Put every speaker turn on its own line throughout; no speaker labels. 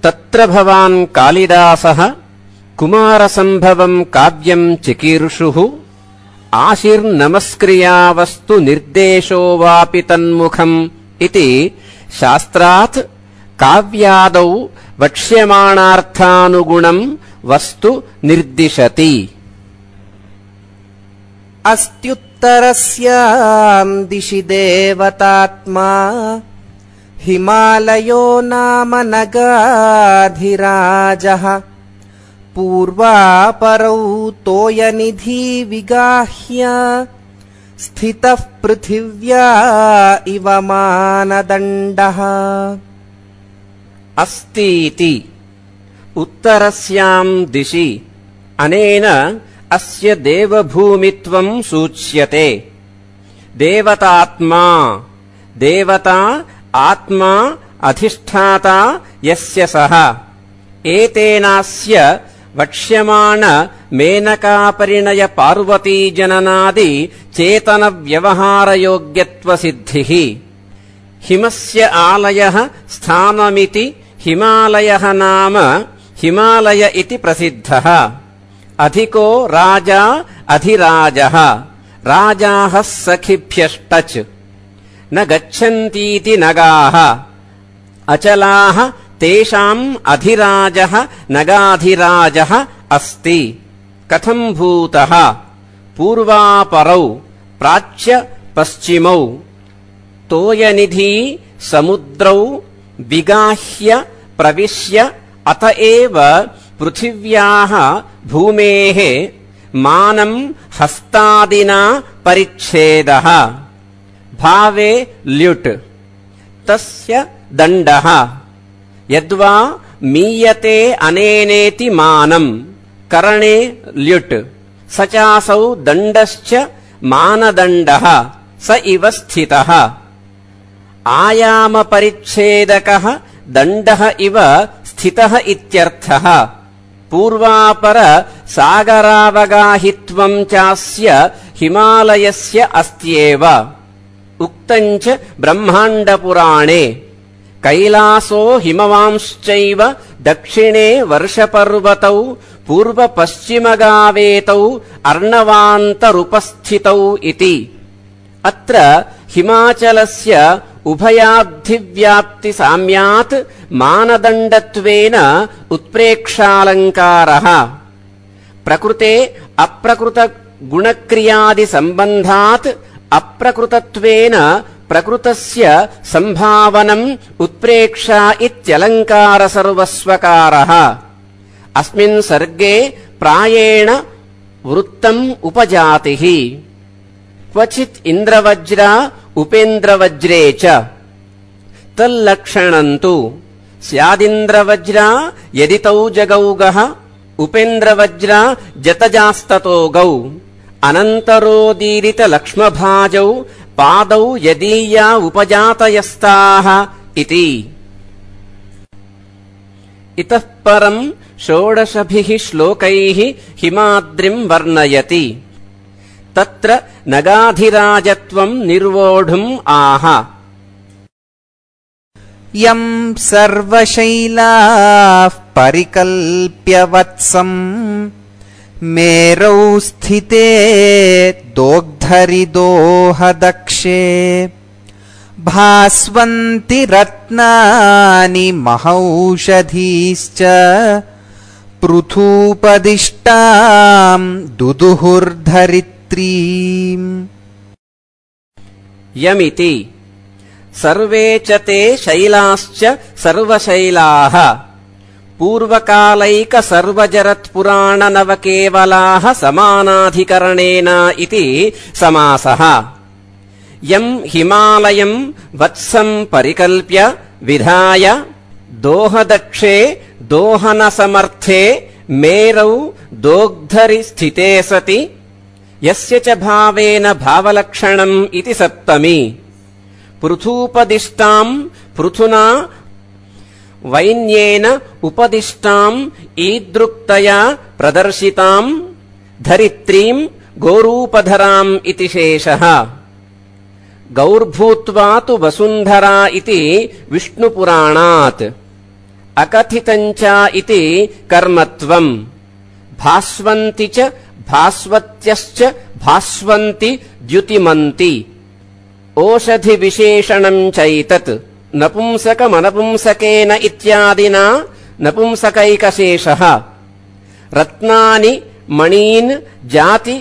तत्र भवान् कालिदासः कुमारसम्भवम् काव्यम् चिकीर्षुः आशिर्नमस्क्रियावस्तु निर्देशो वापि तन्मुखम् इति शास्त्रात् काव्यादौ वक्ष्यमाणार्थानुगुणम् वस्तु निर्दिशति।
अस्त्युत्तरस्याम् दिशि देवतात्मा हिमालयो नाम नगाधिराजः पूर्वापरौ तोयनिधि विगाह्य स्थितः पृथिव्या इव मानदण्डः।
अस्तीति उत्तरस्याम् दिशि अनेन अस्य देवभूमित्वम् सूच्यते। देवतात्मा देवता आत्मा अधिष्ठाता यस्य सः एतेनास्य वक्ष्यमाण मेनकापरिणय पार्वतीजननादि चेतनव्यवहारयोग्यत्वसिद्धिः। हिमस्य आलयः स्थानमिति हिमालयः नाम हिमालय इति प्रसिद्धः। अधिको राजा अधिराजः राजाः सखिभ्यष्टच् न गच्छन्तीति नगाः अचलाः तेषाम् अधिराजः नगाधिराजः अस्ति। कथम् भूतः पूर्वापरौ प्राच्य पश्चिमौ तोयनिधि समुद्रौ विगाह्य प्रविश्य अत एव पृथिव्याः भूमेः मानम् हस्तादिना परिच्छेदः। भावे ल्युट् तस्य दण्डः यद्वा मीयते अनेनेति मानम् करणे ल्युट् स चासौ दण्डश्च मानदण्डः स इव स्थितः। आयामपरिच्छेदकः दण्डः इव स्थितः इत्यर्थः। पूर्वापर सागरावगाहित्वम् चास्य हिमालयस्य अस्त्येव। उक्तम् च ब्रह्माण्डपुराणे कैलासो हिमवांश्चैव दक्षिणे वर्षपर्वतौ पूर्वपश्चिमगावेतौ अर्णवान्तरुपस्थितौ इति। अत्र हिमाचलस्य उभयाब्धिव्याप्तिसाम्यात् मानदण्डत्वेन उत्प्रेक्षालङ्कारः। प्रकृते अप्रकृतगुणक्रियादिसम्बन्धात् अप्रकृतत्वेन प्रकृतस्य सम्भावनम् उत्प्रेक्षा इत्यलङ्कारसर्वस्वकारः। अस्मिन् सर्गे प्रायेण वृत्तम् उपजातिः। क्वचित् इन्द्रवज्र उपेन्द्रवज्रे च तल्लक्षणम् तु स्यादिन्द्रवज्र यदि तौ जगौगः उपेन्द्रवज्र जतजास्ततो गौ अनन्तरोदीरितलक्ष्मभाजौ पादौ यदीया उपजातयस्ताः इति। इतः परम् षोडशभिः श्लोकैः हिमाद्रिम् वर्णयति। तत्र नगाधिराजत्वम् निर्वोढुम् आह।
यम् सर्वशैलाः परिकल्प्य वत्सम् मेरौ स्थिते दोग्धरिदोहदक्षे भास्वन्ति रत्नानि महौषधीश्च पृथूपदिष्टाम् दुदुहुर्धरित्रीम्।
यमिति सर्वे च ते शैलाश्च सर्वशैलाः पूर्वकालैकसर्वजरत्पुराणनवकेवलाः समानाधिकरणेन इति समासः। यम् हिमालयम् वत्सम् परिकल्प्य विधाय दोहदक्षे दोहनसमर्थे मेरौ दोग्धरि स्थिते सति यस्य च भावेन भावलक्षणम् इति सप्तमी। पृथूपदिष्टाम् पृथुना वैन्येन उपदिष्टाम् ईदृक्तया प्रदर्शिताम् धरित्रीम् गोरूपधराम् इति शेषः। गौर्भूत्वा तु वसुन्धरा इति विष्णुपुराणात्। अकथितञ्च इति कर्मत्वम् भास्वन्ति च भास्वत्यश्च भास्वन्ति द्युतिमन्ति ओषधिविशेषणम् चैतत् नपुंसकमनपुंसकेन इत्यादिना नपुंसकैकशेषः रत्नानि मणीन् जाति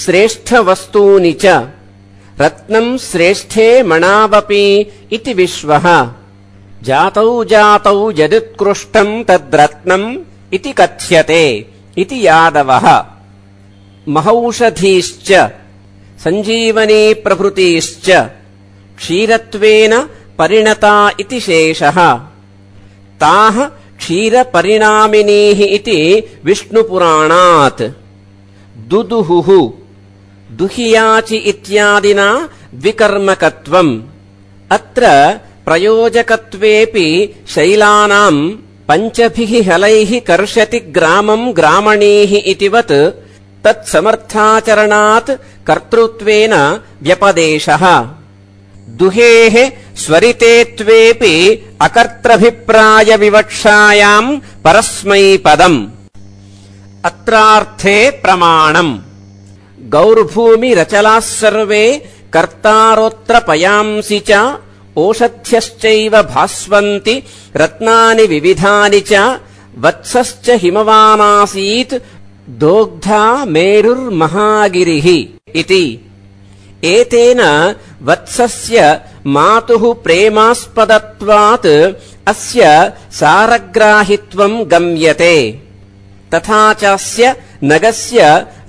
श्रेष्ठवस्तूनि च रत्नम् श्रेष्ठे मणावपि इति विश्वः जातौ जातौ यदुत्कृष्टम् तद्रत्नम् इति कथ्यते इति यादवः महौषधीश्च सञ्जीवनी प्रभृतीश्च क्षीरत्वेन परिणता इति शेषः ताः क्षीरपरिणामिनीः इति विष्णुपुराणात् दुदुहुः दुहियाचि इत्यादिना द्विकर्मकत्वम् अत्र प्रयोजकत्वेऽपि शैलानाम् पञ्चभिः हलैः कर्षति ग्रामम् ग्रामणीः इतिवत् तत्समर्थाचरणात् कर्तृत्वेन व्यपदेशः दुहेः स्वरितेत्वेऽपि अकर्त्रभिप्रायविवक्षायाम् परस्मैपदम् अत्रार्थे प्रमाणम् गौर्भूमिरचलाः सर्वे कर्तारोऽत्र पयांसि च ओषध्यश्चैव भास्वन्ति रत्नानि विविधानि च वत्सश्च हिमवानासीत् दोग्धा मेरुर्महागिरिः इति एतेन वत्सस्य मातुः प्रेमास्पदत्वात् अस्य सारग्राहित्वम् गम्यते तथा चास्य नगस्य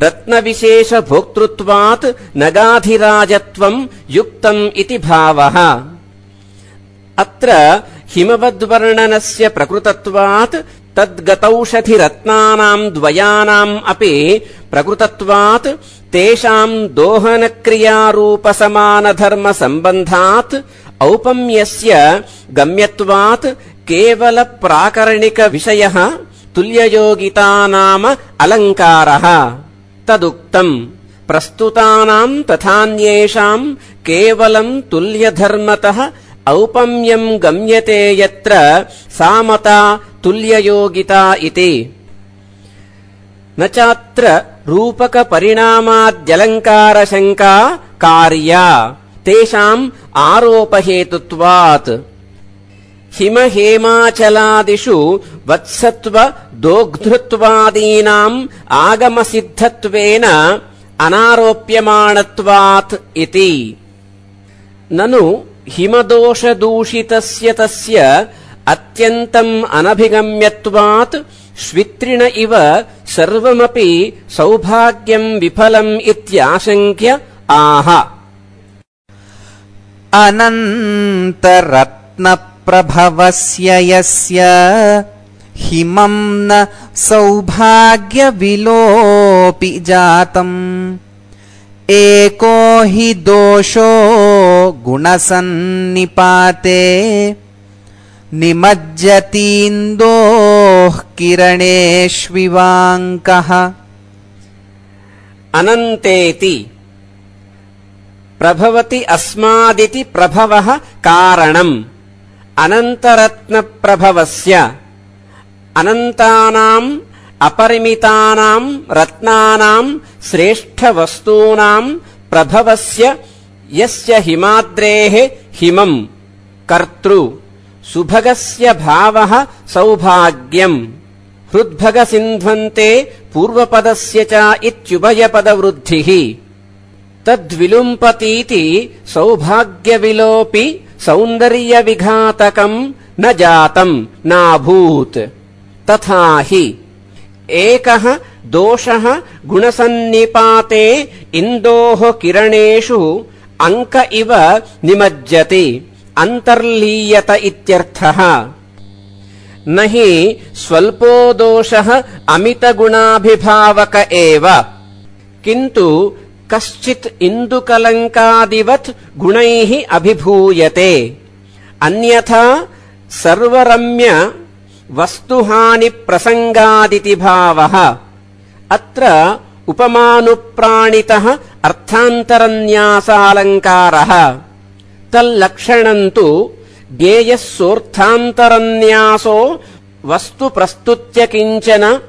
रत्नविशेषभोक्तृत्वात् नगाधिराजत्वम् युक्तम् इति भावः अत्र हिमवद्वर्णनस्य प्रकृतत्वात् तद्गतौषधिरत्नानाम् द्वयानाम् अपि प्रकृतत्वात् तेषाम् दोहनक्रियारूपसमानधर्मसम्बन्धात् औपम्यस्य गम्यत्वात् केवलप्राकरणिकविषयः तुल्ययोगिता नाम अलङ्कारः तदुक्तम् प्रस्तुतानाम् तथान्येषाम् केवलम् तुल्यधर्मतः औपम्यम् गम्यते यत्र सामता तुल्ययोगिता इति न चात्र रूपकपरिणामाद्यलङ्कारशङ्का कार्या तेषाम् आरोपहेतुत्वात् हिमहेमाचलादिषु वत्सत्व दोग्धृत्वादीनाम् आगमसिद्धत्वेन अनारोप्यमाणत्वात् इति ननु हिमदोषदूषितस्य तस्य अत्यन्तम् अनभिगम्यत्वात् श्वित्रिण इव सर्वमपि सौभाग्यम् विफलम् इत्याशङ्क्य आह
अनन्तरत्नप्रभवस्य यस्य हिमम् न सौभाग्यविलोपि जातम् एको हि दोषो गुणसन्निपाते निमज्जतीन्दोः किरणेष्विवाङ्कः
अनन्तेति प्रभवति अस्मादिति प्रभवः कारणम् अनन्तरत्नप्रभवस्य अनन्तानाम् अपरिमितानाम् रत्नानाम् श्रेष्ठवस्तूनाम् प्रभवस्य यस्य हिमाद्रेः हिमम् कर्तृ सुभगस्य भावः सौभाग्यम् हृद्भगसिन्ध्वन्ते पूर्वपदस्य च इत्युभयपदवृद्धिः तद्विलुम्पतीति सौभाग्यविलोपि सौन्दर्यविघातकम् न जातम् नाभूत् तथा हि एकः दोषः गुणसन्निपाते इन्दोः किरणेषु अंक इव निमज्जति अंतर्लीयत इत्यर्थः न हि स्वल्पो दोषः अमितगुणाभिभावक एव किन्तु कश्चित् इन्दुकलङ्कादिवत् गुणैः अभिभूयते अन्यथा सर्वरम्य वस्तुहानि प्रसंगादिति भावः अत्र उपमानुप्राणितः अर्थान्तरन्यासालङ्कारः तल्लक्षणम् तु ज्ञेयः सोऽर्थान्तरन्यासो वस्तु प्रस्तुत्य किञ्चन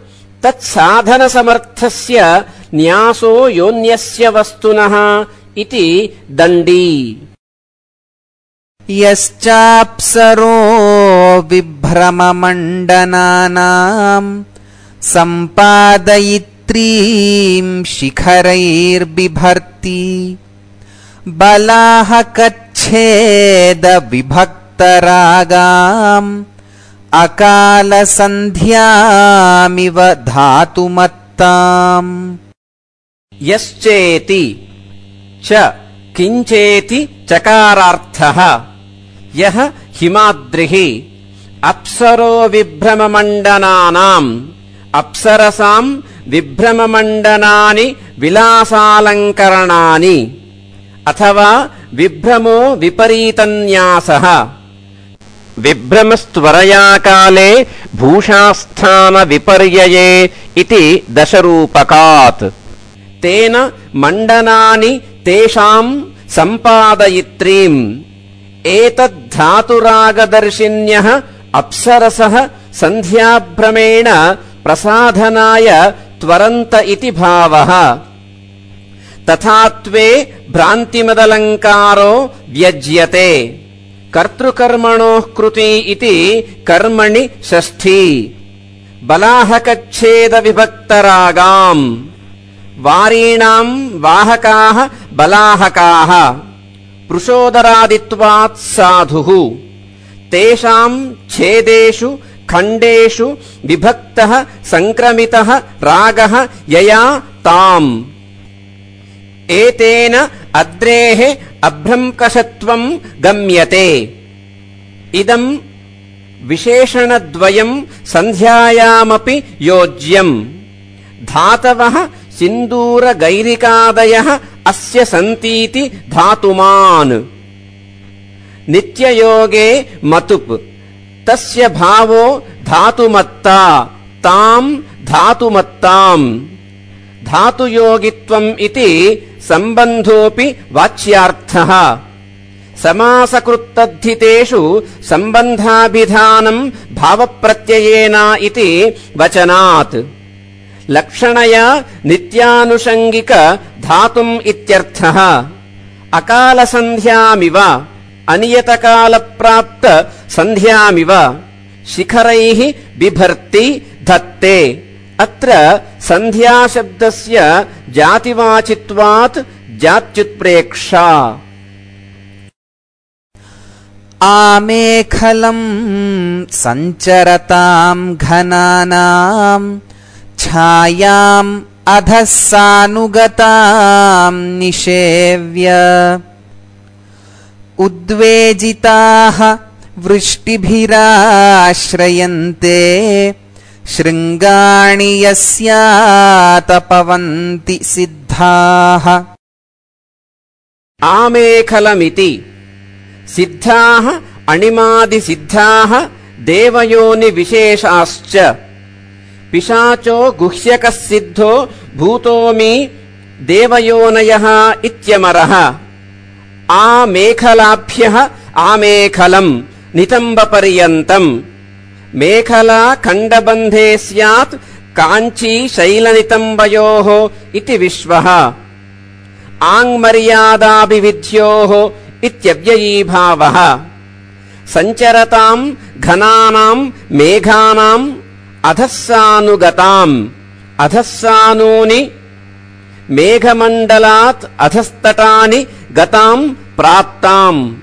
तत्साधनसमर्थस्य न्यासो योऽन्यस्य वस्तुनः इति दण्डी।
यश्चाप्सरो विभ्रममण्डनानाम् सम्पादयित्रीम् शिखरैर्बिभर्ति बलाहकच्छेदविभक्तरागाम् अकालसन्ध्यामिव धातुमत्ताम्।
यश्चेति च किञ्चेति चकारार्थः यः हिमाद्रिः अप्सरो विभ्रममण्डनानाम् अप्सरसाम् विभ्रममण्डनानि विलासालङ्करणानि अथवा विभ्रमो विपरीतन्यासः विभ्रमस्त्वरया काले भूषास्थानविपर्यये इति दशरूपकात्। तेन मण्डनानि तेषाम् सम्पादयित्रीम् एतद्धातुरागदर्शिन्यः अप्सरसः सन्ध्याभ्रमेण प्रसाधनाय त्वरन्त इति भावः। तथात्वे भ्रान्तिमदलङ्कारो व्यज्यते। कर्तृकर्मणोः कृती इति कर्मणि षष्ठी। बलाहकच्छेदविभक्तरागाम् वारीणाम् वाहकाः बलाहकाः पृषोदरादित्वात् साधुः तेषाम् छेदेषु खण्डेषु विभक्तः संक्रमितः रागः यया ताम्। एतेन अद्रेः अभ्रंकषत्वम् गम्यते। इदम् विशेषणद्वयम् सन्ध्यायामपि योज्यम्। धातवः सिन्दूरगैरिकादयः अस्य सन्तीति धातुमान्। नित्ययोगे मतुप् तस्य भावो धातुमत्ता ताम् धातुमत्ताम्। धातुयोगित्वम् इति सम्बन्धोऽपि वाच्यार्थः। समासकृत्तद्धितेषु सम्बन्धाभिधानम् भावप्रत्ययेन इति वचनात्। लक्षणया नित्यानुषङ्गिक धातुम् इत्यर्थः। अकालसन्ध्यामिव अनियतकालप्राप्त सन्ध्यामिव शिखरैः बिभर्ति धत्ते। अत्र सन्ध्याशब्दस्य जातिवाचित्वात् जात्युत्प्रेक्षा।
आमेखलम् सञ्चरताम् घनानाम् छायाम् अधः सानुगताम् निषेव्य उद्वेजिताः वृष्टिभिराश्रयन्ते शृङ्गाणि यस्यातपवन्ति सिद्धाः।
आमेखलमिति सिद्धाः अणिमादिसिद्धाः देवयोनिविशेषाश्च। पिशाचो गुह्यकः सिद्धो भूतोऽमि देवयोनयः इत्यमरः। आमेखलाभ्यः आमेखलम् नितम्बपर्यन्तम्। मेखला खण्डबन्धे स्यात् काञ्ची शैलनितम्बयोः इति विश्वः। आङ्मर्यादाभिविध्योः इत्यव्ययीभावः। सञ्चरताम् घनानाम् मेघानाम् अधस्सानुगताम्। अधस्सानूनि मेघमण्डलात् अधस्तटानि गताम् प्राप्ताम्।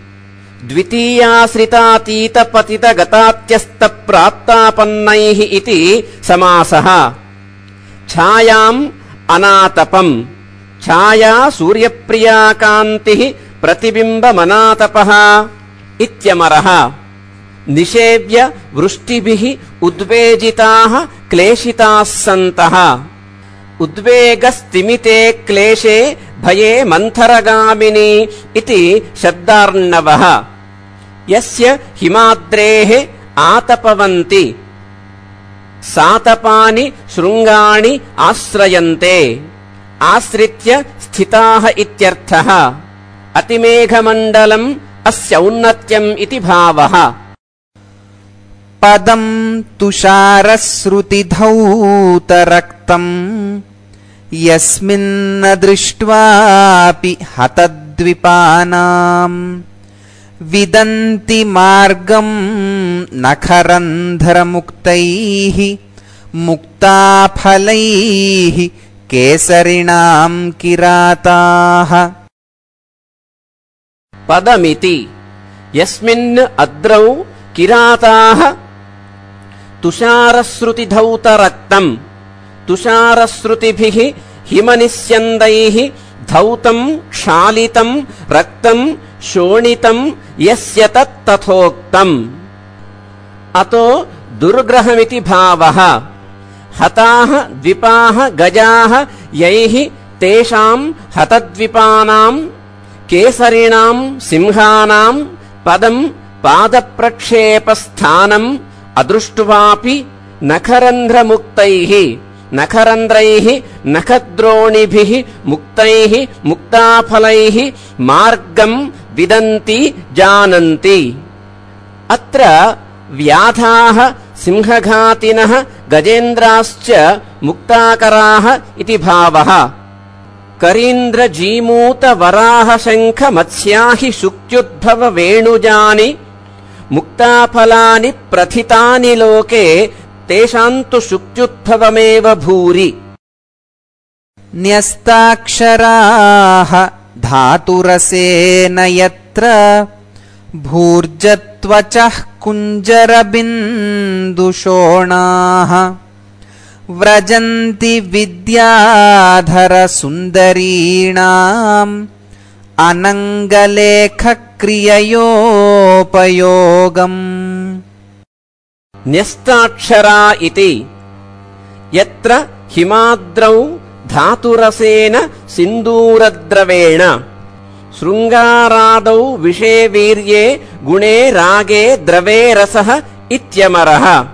द्वितीयाश्रितातीतपतितगतात्यस्तप्राप्तापन्नैः इति समासः। छायाम् अनातपम्। छाया सूर्यप्रिया कान्तिः प्रतिबिम्बमनातपः इत्यमरः। निषेव्य वृष्टिभिः उद्वेजिताः क्लेशिताः सन्तः। उद्वेगस्तिमिते क्लेशे भये मन्थरगामिनी इति शब्दार्णवः। यस्य हिमाद्रेः आतपवन्ति सातपानि शृङ्गाणि आश्रयन्ते। आश्रित्य स्थिताः इत्यर्थः। अतिमेघमण्डलम् अस्य औन्नत्यम् इति भावः।
पदं तुषारश्रुतिधौतरक्तम् यस्मिन्न दृष्ट्वापि हतद्विपानाम् विदन्ति मार्गं नखरन्ध्रमुक्तैः मुक्ताफलैः केसरिणां किराताः।
पदमिति यस्मिन् अद्रौ किराताः तुषारश्रुतिधौतरक्तम् तुषारश्रुतिभिः हिमनिस्यन्दैः धौतं क्षालितं रक्तं शोणितं यस्य तत्तथोक्तम्। अतो दुर्ग्रहमिति भावः। हताः द्विपाः गजाः यैः तेषां हतद्विपानां केसरिणां सिंहानां पदं पादप्रक्षेपस्थानम् अदृष्ट्वापि नखरन्ध्रमुक्तैः नखरन्ध्रैः नखद्रोणिभिः मुक्तैः मुक्ताफलैः मार्गं विदन्ति जानन्ति। अत्र व्याधाः सिंहघातिनः गजेन्द्राश्च मुक्ताकराः इति भावः। करीन्द्रजीमूतवराहशङ्खमत्स्याहि शुक्त्युद्भव वेणुजानि मुक्ताफलानि प्रथितानि लोके तेषां तु शुक्त्युद्भवमेव भूरि।
न्यस्ताक्षराः धातुरसेन यत्र भूर्जत्वचः कुञ्जरबिन्दुशोणाः व्रजन्ति विद्याधरसुन्दरीणाम् अनङ्गलेखक्रिययोपयोगम्।
न्यस्ताक्षरा इति यत्र हिमाद्रौ धातुरसेन सिन्दूरद्रवेण शृङ्गारादौ विषे वीर्ये गुणे रागे द्रवे रसः इत्यमरः।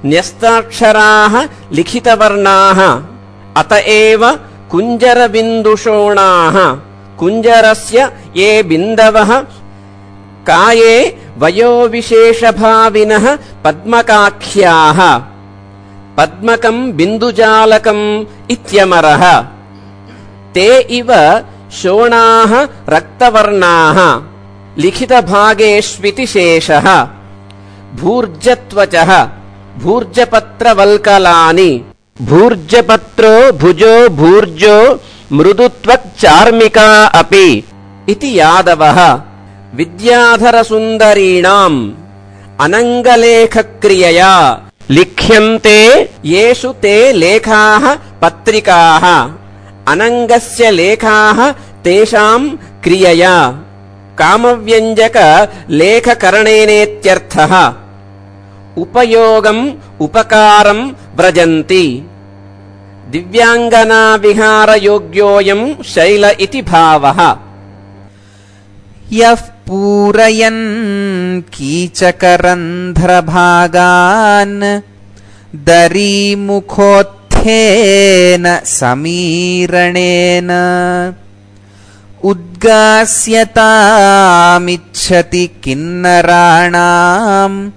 न्यस्ताक्षराः लिखितवर्णाः अत एव कुञ्जरबिन्दुशोणाः। कुञ्जरस्य ये बिन्दवः काये वयोविशेषभाविनः पद्मकाख्याः पद्मकं बिन्दुजालकम् इत्यमरः। ते इव शोणाः रक्तवर्णाः लिखितभागेष्विति शेषः। भूर्जत्वचः भूर्जपत्रवल्कलानि भूर्जपत्रो भुजो भूर्जो मृदुत्वक्चार्मिका अपि इति यादवः। विद्याधरसुन्दरीणाम् अनङ्गलेखक्रियया लिख्यन्ते येषु ते लेखाः पत्रिकाः अनङ्गस्य लेखाः तेषां क्रियया कामव्यञ्जक लेखकरणेनेत्यर्थः। उपयोगम् उपकारं व्रजन्ति। दिव्याङ्गनाविहारयोग्योऽयम् शैल इति भावः।
यः पूरयन् कीचकरन्ध्रभागान् दरीमुखोत्थेन समीरणेन उद्गास्यतामिच्छति किन्नराणाम्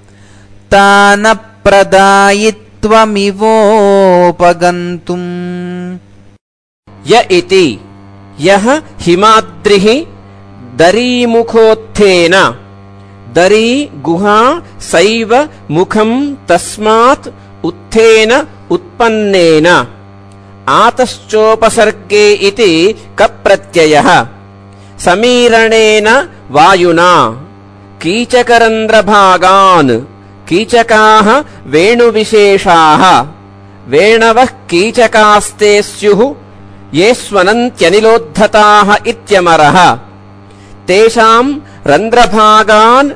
तानप्रदायित्वमिवोपगन्तुम्।
य इति यः हिमाद्रिः दरीमुखोत्थेन दरी गुहा सैव मुखं तस्मात् उत्थेन उत्पन्नेन आतश्चोपसर्गे इति कप्रत्ययः समीरणेन वायुना कीचकरन्ध्रभागान् कीचकाः वेणुविशेषाः वेणवः कीचकास्ते स्युः ये स्वनन्त्यनिलोद्धताः इत्यमरः। तेषां रन्ध्रभागान्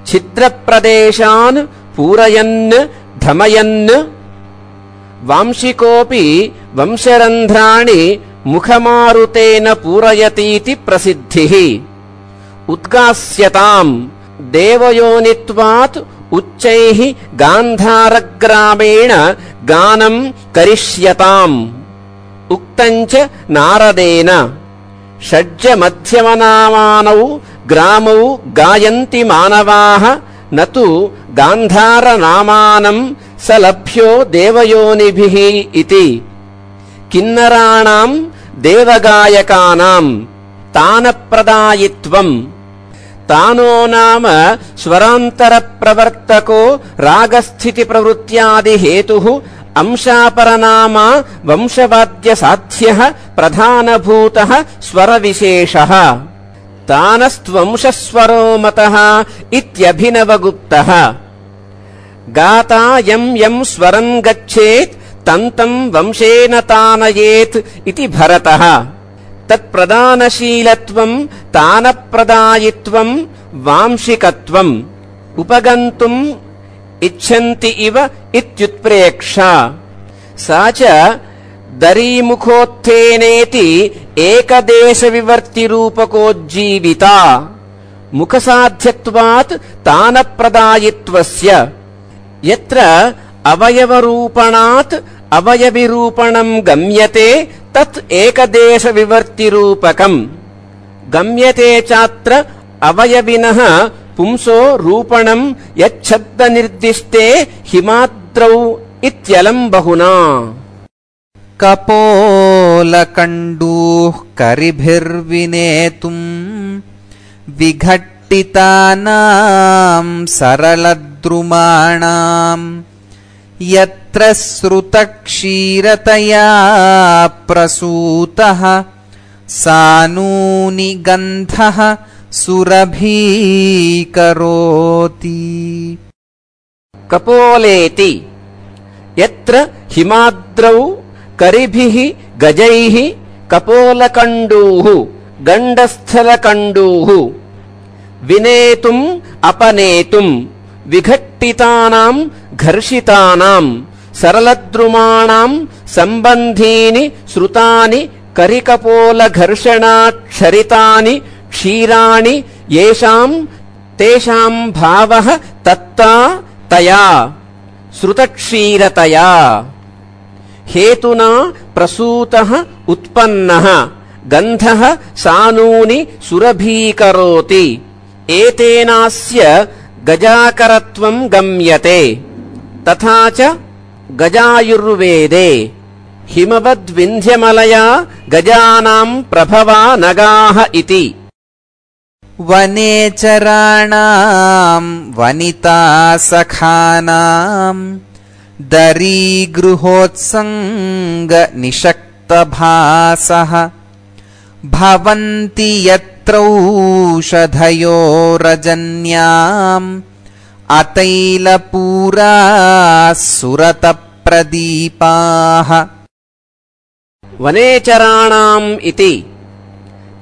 छिद्रप्रदेशान् पूरयन् धमयन् वांशिकोऽपि वंशरन्ध्राणि मुखमारुतेन पूरयतीति प्रसिद्धिः। उद्गास्यताम् देवयोनित्वात् उच्चैः गान्धारग्रामेण गानं करिष्यताम् उक्तञ्च नारदेन। षड्ज मध्यमनामानौ ग्रामौ गायन्ति मानवाः न तु गान्धारनामानं स लभ्यो देवयोनिभिः इति किन्नराणां देवगायकानां तानप्रदायित्वम् तानो नाम स्वरान्तरप्रवर्तको रागस्थितिप्रवृत्त्यादिहेतुः अंशापरनामा वंशवाद्यसाध्यः प्रधानभूतः स्वरविशेषः तानस्त्वंशस्वरो मतः इत्यभिनवगुप्तः गाता यं यं स्वरं गच्छेत् तं तं वंशेन तानयेत् इति भरतः तत्प्रदानशीलत्वं तानप्रदायित्वं वांशिकत्वम् उपगन्तुम् इच्छन्ति इव इत्युत्प्रेक्षा सा च दरीमुखोत्थेनेति एकदेशविवर्तिरूपकोज्जीविता मुखसाध्यत्वात् तानप्रदायित्वस्य यत्र अवयवरूपणात् अवयविरूपणं गम्यते तत् एकदेशविवर्तिरूपकम् गम्यते चात्र अवयविनः पुंसो रूपणं यच्छब्दनिर्दिष्टे हिमाद्रौ इत्यलं बहुना
कपोलकण्डूः करिभिर्विनेतुम् विघट्टितानां सरलद्रुमाणाम् यत्र श्रुतक्षीरतया प्रसूतः सानूनि गन्धः सुरभीकरोति
कपोलेति यत्र हिमाद्रौ करिभिः गजैः कपोलकण्डूः गण्डस्थलकण्डूः विनेतुम् अपनेतुम् विघट्टितानां घर्षितानां सरलद्रुमाणां सम्बन्धीनि श्रुतानि करिकपोलघर्षणाक्षरितानि क्षीराणि येषां तेषां भावः तत्ता तया श्रुतक्षीरतया हेतुना प्रसूतः उत्पन्नः गन्धः सानूनि सुरभीकरोति एतेनास्य गजाकरत्वं गम्यते तथा च गजायुर्वेदे हिमवद्विन्ध्यमलया गजानां प्रभवा नगाः इति
वनेचराणां वनितासखानां दरीगृहोत्सङ्गनिषक्तभासः भवन्ति यत्रौषधयो रजन्याम् अतैलपूराः सुरतप्रदीपाः
वनेचराणाम् इति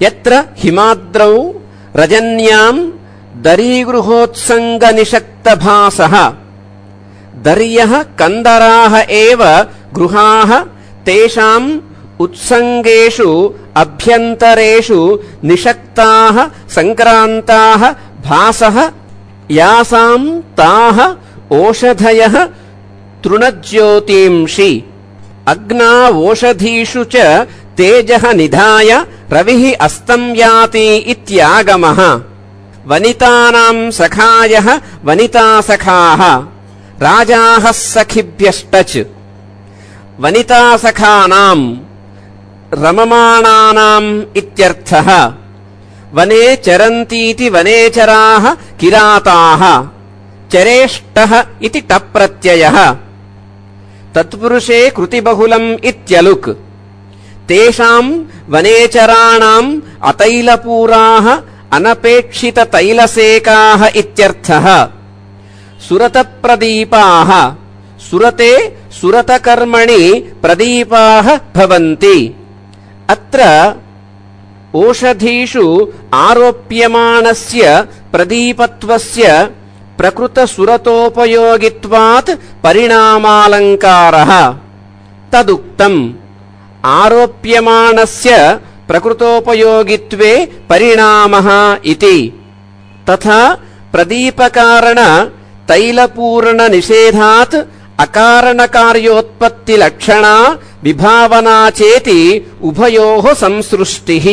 यत्र हिमाद्रौ रजन्यां दरीगृहोत्सङ्गनिषक्तभासः दर्यः कन्दराः एव गृहाः तेषाम् उत्सङ्गेषु अभ्यन्तरेषु निषक्ताः सङ्क्रान्ताः भासः यासां ताः ओषधयः तृणज्योतींषि अग्ना ओषधीषु च तेजः निधाय रविः अस्तं याति इत्यागमः वनितानां सखायः वनितासखाः राजाः सखिभ्यश्च वनितासखानां रममाणानाम् इत्यर्थः वने चरन्तीति वनेचराः किराताः चरेष्टः इति टप्रत्ययः तत्पुरुषे कृतिबहुलम् इत्यलुक् तेषाम् वनेचराणाम् अतैलपूराः अनपेक्षिततैलसेकाः इत्यर्थः सुरतप्रदीपाः सुरते सुरतकर्मणि प्रदीपाः भवन्ति अत्र ओषधीषु आरोप्यमाणस्य प्रदीपत्वस्य प्रकृतसुरतोपयोगित्वात् परिणामालङ्कारः तदुक्तम् आरोप्यमाणस्य प्रकृतोपयोगित्वे परिणामः इति तथा प्रदीपकारण तैलपूर्णनिषेधात् अकारणकार्योत्पत्तिलक्षणा विभावना चेति उभयोः संसृष्टिः।